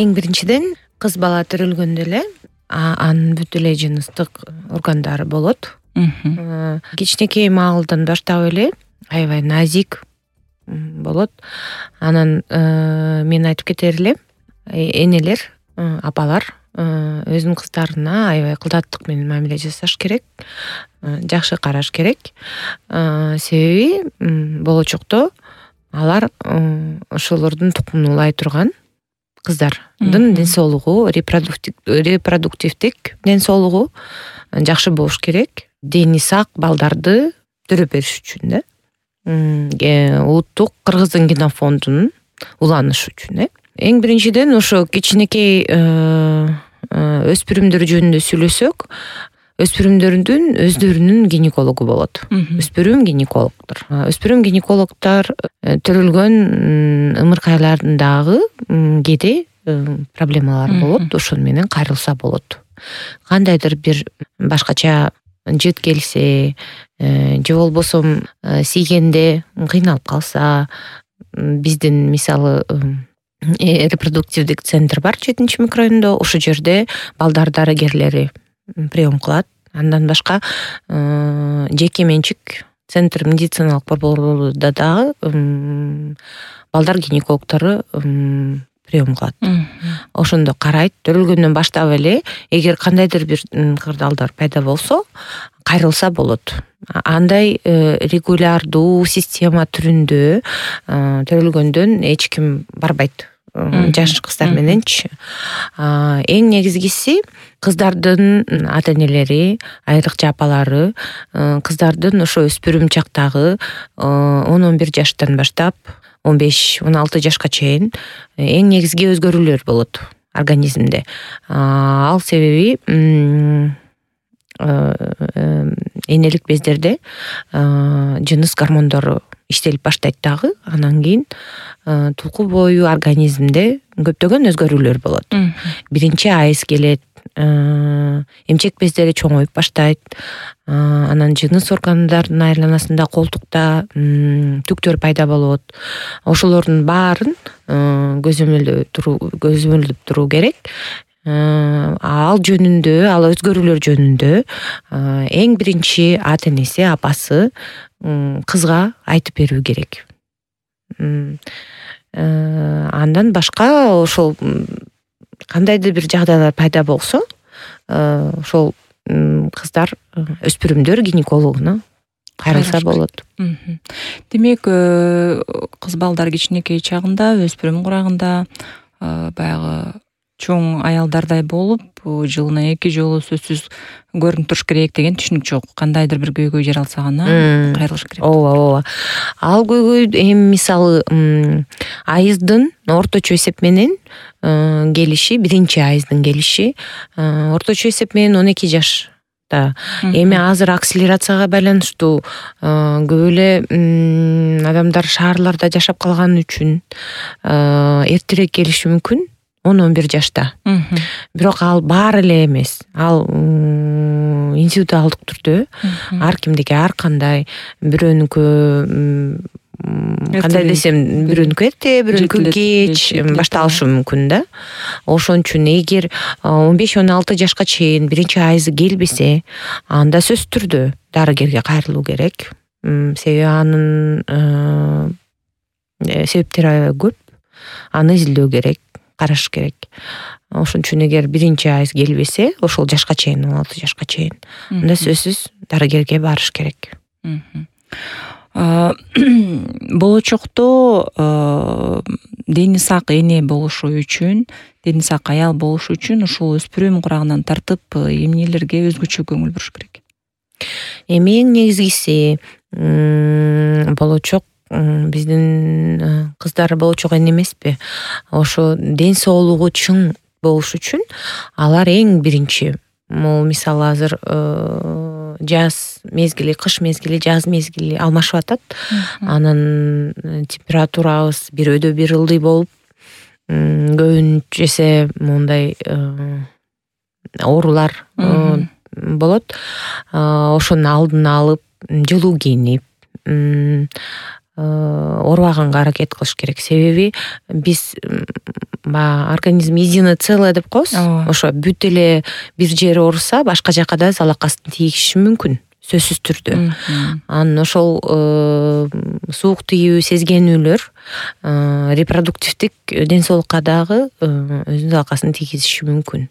Эң биринчиден кыз бала төрөлгөндө эле анын бүт эле жыныстык органдары болот. Кичинекей маалдан баштап эле аябай назик болот. Анан мен айтып кетер элем, энелер, апалар өзүнүн кыздарына аябай кылдаттык менен мамиле жасаш керек, жакшы караш керек. Себеби болочокто алар ошолордун тукумун улай турган кыздардын ден соолугу, репродуктивдик ден соолугу жакшы болуш керек. Дени сак балдарды төрөп бериш үчүн да. Улуттук кыргыздын генофондунун уланышы үчүн. Эң биринчиден ошо кичинекей өспүрүмдөр жөнүндө сүйлөсөк, өспүрүмдөрдүн өздөрүнүн гинекологу болот. Өспүрүм гинекологдор. Өспүрүм гинекологдор төрөлгөн ымыркайлардагы кээде проблемалар болот, ошону менен кайрылса болот. Кандайдыр бир башкача жыт келсе, же болбосо тийгенде кыйналып калса, биздин мисалы репродуктивдик центр бар 7 микрорайондо, ошол жерде балдар дарыгерлери прием кылат. Андан башка жеке менчик центр медициналык борборлордо дагы балдар гинекологдору прием кылат. Ошондо карайт. Төрөлгөндөн баштап эле эгер кандайдыр бир кырдаалдар пайда болсо, кайрылса болот. Андай регулярдуу система түрүндө төрөлгөндөн эч ким барбайт. Жаш кыздар мененчи. Эң негизгиси кыздардын ата-энелери, айрыкча апалары, кыздардын ошо өспүрүм чактагы 10-11 жаштан баштап 15-16 жашка чейин эң негизги өзгөрүүлөр болот организмде. Ал себеби энелик бездерде жыныс гормондору иштелип баштайт дагы. Анан кийин тулку бою организмде көптөгөн өзгөрүүлөр болот. Биринчи айыз келет, эмчек бездери чоңоюп баштайт. Анан жыныс органдарынын айланасында, колтукта түктөр пайда болот. Ошолордун баарын көзөмөлдөп туруу керек. Ал жөнүндө, ал өзгөрүүлөр жөнүндө эң биринчи ата-энеси, апасы кызга айтып берүү керек. Андан башка ошол кандайдыр бир жагдайлар пайда болсо, ошол кыздар, өспүрүмдөр гинекологуна кайрылса болот. Демек, кыз балдар кичинекей чагында, өспүрүм курагында баягы чоң аялдардай болуп, жылына 2 жолу сөзсүз көрүнүп туруш керек деген түшүнүк жок. Кандайдыр бир көйгөй жаралса гана кайрылыш керек. Ооба. Ал көйгөй эми мисалы айыздын орточо эсеп менен келиши, биринчи айыздын келиши орточо эсеп менен 12 жашта. Эми азыр акселерацияга байланыштуу көп эле адамдар шаарларда жашап калган үчүн эртерээк келиши мүмкүн. 10-11 жашта. Бирок ал баары эле эмес. Ал индивидуалдык түрдө ар кимдики ар кандай, бирөөнүкү кандай десем, бирөөнүкү эрте, бирөөнүкү кеч башталышы мүмкүн да. Ошон үчүн эгер 15-16 жашка чейин биринчи айызы келбесе, анда сөзсүз түрдө дарыгерге кайрылуу керек. Себеби анын себептери көп. Аны изилдөө керек, караш керек. Ошон үчүн эгер биринчи айыз келбесе, ошол жашка чейин, 16 жашка чейин, анда сөзсүз дарыгерге барыш керек. Болочокто дени сак эне болушу үчүн, дени сак аял болушу үчүн ушул өспүрүм курагынан тартып эмнелерге өзгөчө көңүл буруш керек? Эми эң негизгиси болочок биздин кыздар болочок эне эмеспи? Ошо ден соолугу чың болуш үчүн алар эң биринчи, мисалы азыр жаз мезгили, кыш мезгили, жаз мезгили алмашып атат. Анан температурабыз бир өдө бир ылдый болуп, көбүнчөсү мондай оорулар болот. Ошонун алдын алып, жылуу кийинип, оорубаганга аракет кылыш керек. Себеби биз баягы организм единое целое деп коебуз. Ошо бүт эле бир жери ооруса башка жака да залакасын тийгизиши мүмкүн, сөзсүз түрдө. Анан ошол суук тигүү сезгенүүлөр репродуктивдик ден соолукка дагы өзүнүн залакасын тийгизиши мүмкүн.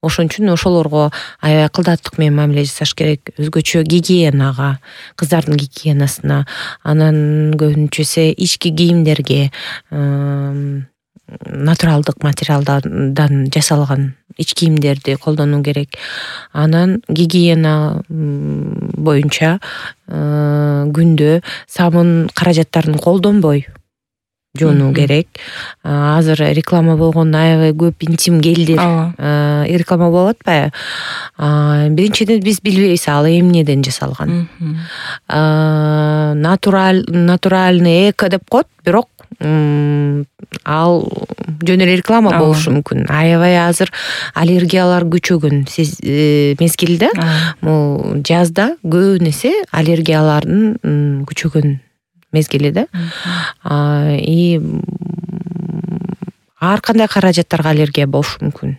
Ошон үчүн ошолорго аябай кылдаттык менен мамиле жасаш керек. Өзгөчө гигиенага, кыздардын гигиенасына, анан көбүнчө эсе ички кийимдерге натуралдык материалдардан жасалган ич кийимдерди колдонуу керек. Анан гигиена боюнча күндө сабын каражаттарын колдонбой жуунуу керек. Азыр реклама болгон аябай көп интим гелдер реклама болуп атпайбы? Биринчиден биз билбейбиз ал эмнеден жасалган. Натуральный эко деп коет, бирок ал жөн эле реклама болушу мүмкүн. Аябай азыр аллергиялар күчөгөн мезгилде, бул жазда көп эсе аллергиялардын күчөгөн мезгили да. И ар кандай каражаттарга аллергия болушу мүмкүн.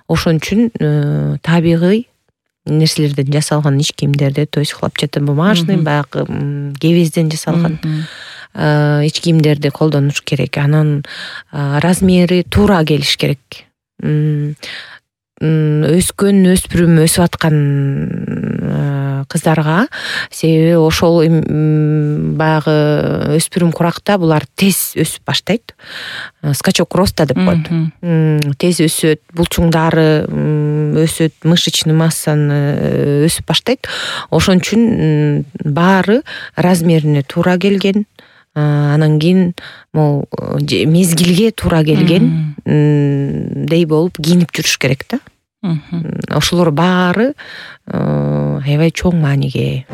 Ошон үчүн табигый нерселерден жасалган ич кийимдерди, то есть хлопчатобумажный, баягы кебезден жасалган ич кийимдерди колдонуш керек. Анан размери туура келиш керек. Өскөн өспүрүм өсүп аткан кыздарга, себеби ошол баягы өспүрүм куракта булар тез өсүп баштайт. Скачок роста деп коет. Тез өсөт, булчуңдары өсөт, мышечный массаны өсүп баштайт. Ошон үчүн баары размерине туура келген, анан кийин могу мезгилге туура келген дей болуп кийинип жүрүш керек да. Ошолор баары аябай чоң мааниге ээ.